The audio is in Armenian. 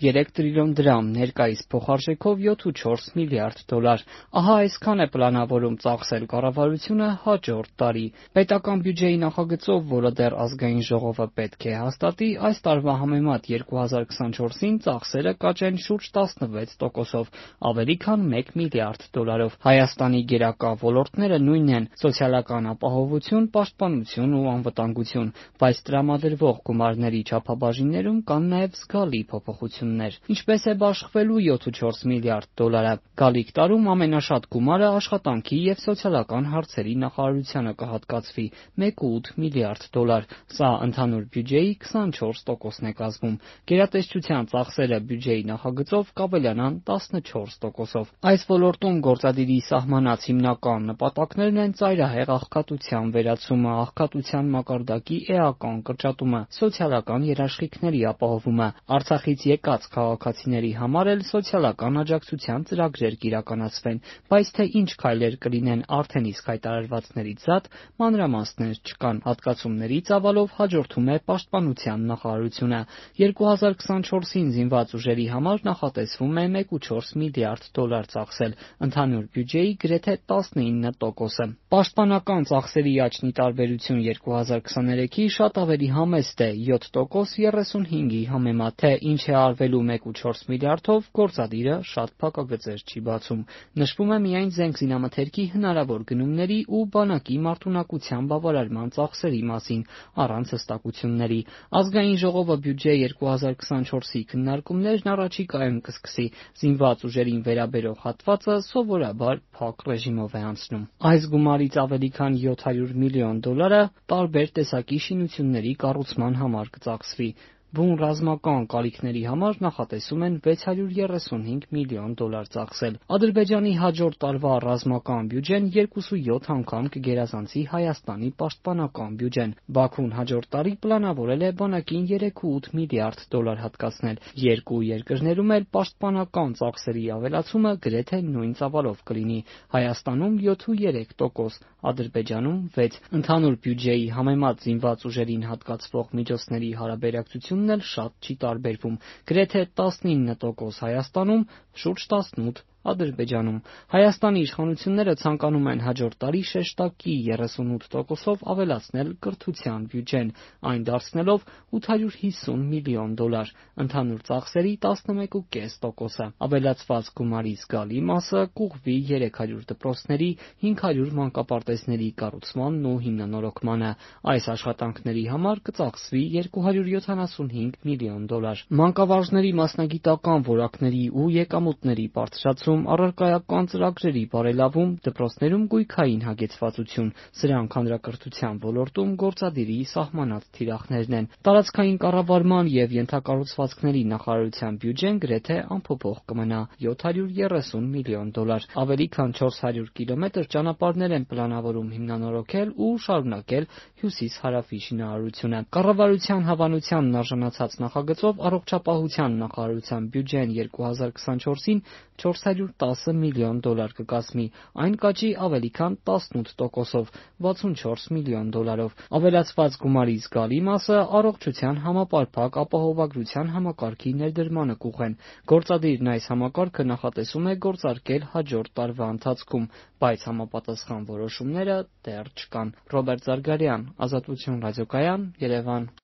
3 տրիլիոն դրամ, ներկայիս փոխարժեքով 7,4 միլիարդ դոլար։ Ահա այսքան է պլանավորում ծախսել կառավարությունը հաջորդ տարի։ Պետական բյուջեի նախագծով, որը դեռ ազգային ժողովը պետք է հաստատի, այս տարվա համեմատ 2024-ին ծախսերը կաճեն շուրջ 16%-ով, ավելի քան 1 միլիարդ դոլարով։ Հայաստանի գերակա ոլորտները նույնն են՝ սոցիալական ապահովություն, պաշտպանություն ու անվտանգություն, բայց տրամադրվող գումարների չափաբաժիններում կան նաև զգալի փոփոխություններ։ Ինչպես է բաշխվելու 7,4 միլիարդ դոլարը։ Գալիք տարում ամենաշատ գումարը աշխատանքի և սոցիալական հարցերի նախարարությանը կհատկացվի՝ 1,8 միլիարդ դոլար։ Սա ընդհանուր բյուջեի 24%-ն է կազմում։ Գերատեսչության ծախսերը բյուջեի նախագծով կավելանան 14%-ով։ Այս ոլորտում գործադիրի սահմանած հիմնական նպատակներն են ծայրահեղ աղքատության վերացումը, աղքատության մակարդակի էական կրճատումը, սոցիալական երաշխիքների ապահովումը, Արցախից եկած քաղաքացիների համար էլ սոցիալական աջակցության ծրագրեր կիրականացվեն, բայց թե ինչ քայլեր կլինեն արդեն իսկ հայտարարվածներից զատ, մանրամասներ չկան։ Հատկացումների ծավալով հաջորդում է Պաշտպանության նախարարությունը։ 2024-ին զինված ուժերի համար նախատեսվում է 1,4 միլիարդ դոլար ծախսել, ընդհանուր բյուջեի գրեթե 19%-ը։ Պաշտպանական ծախսերի աճն ի տարբերություն 2023-ի շատ ավելի համեստ է՝ 7%, 35-ի համեմատ։ Թե ինչ է արվելու 1,4 միլիարդով, գործադիրը շատ փակագծեր չի բացում։ Նշվում է միայն զենք-զինամթերքի հնարավոր գնումների ու բանակի մարտունակության բավարարման ծախսերի մասին, առանց հստակությունների։ Ազգային ժողովը բյուջե 2024-ի քննարկումներն առաջիկայում կսկսի։ Զինված ուժերին վերաբերող հատվածը սովորաբար փակ ռեժիմով է անցնում։ Այս գումարից ավելի քան 700 միլիոն դոլարը տարբեր տեսակի շինությունների կառուցման համար կծախսվի։ Բուն ռազմական կարիքների համար նախատեսում են 635 միլիոն դոլար ծախսել։ Ադրբեջանի հաջորդ տարվա ռազմական բյուջեն 2,7 անգամ կգերազանցի Հայաստանի պաշտպանական բյուջեն։ Բաքուն հաջորդ տարի պլանավորել է բանակին 3,8 միլիարդ դոլար հատկացնել։ Երկու երկրներում էլ պաշտպանական ծախսերի ավելացումը գրեթե նույն ծավալով կլինի՝ Հայաստանում 7,3%, Ադրբեջանում 6%։ Ընդհանուր բյուջեի համեմատ զինված ուժերին հատկացվող միջոցների հարաբերակցությունն էլ շատ չի տարբերվում՝ գրեթե 19% Հայաստանում, շուրջ 18% Ադրբեջանում։ Հայաստանի իշխանությունները ցանկանում են հաջորդ տարի շեշտակի 38%-ով ավելացնել կրթության բյուջեն, այն դարձնելով 850 միլիոն դոլար, ընդհանուր ծախսերի 11,5%-ը։ Ավելացված գումարի զգալի մասը կուղղվի 300 դպրոցների, 500 մանկապարտեզների կառուցմանն ու հիմնանորոգմանը։ Այս աշխատանքների համար կծախսվի 275 միլիոն դոլար։ Մանկավարժների մասնագիտական որակների ու եկամուտների բարձրացում, առարկայական ծրագրերի բարելավում, դպրոցներում գույքային հագեցվածություն, սրանք հանրակրթության ոլորտում գործադիրի սահմանած թիրախներն են։ Տարածքային կառավարման և ենթակառուցվածքների նախարարության բյուջեն գրեթե անփոփոխ կմնա՝ 730 միլիոն դոլար։ Ավելի քան 400 կիլոմետր ճանապարհներ են պլանավորում հիմնանորոգել ու շարունակել հյուսիս-հարավի շինարարությունը։ Կառավարության հավանությանն արժանացած նախագծով առողջապահության նախարարության բյուջեն 2024-ին 410 միլիոն դոլար կկազմի, այն կաճի ավելի քան 18%-ով՝ 64 միլիոն դոլարով։ Ավելացված գումարի զգալի մասը առողջության համապարփակ ապահովագրության համակարգի ներդրմանը կուղղեն։ Գործադիրն այս համակարգը նախատեսում է գործարկել հաջորդ տարվա ընթացքում, բայց համապատասխան որոշումները դեռ չկան։ Ռոբերտ Զարգարյան, Ազատություն ռադիոկայան, Երևան։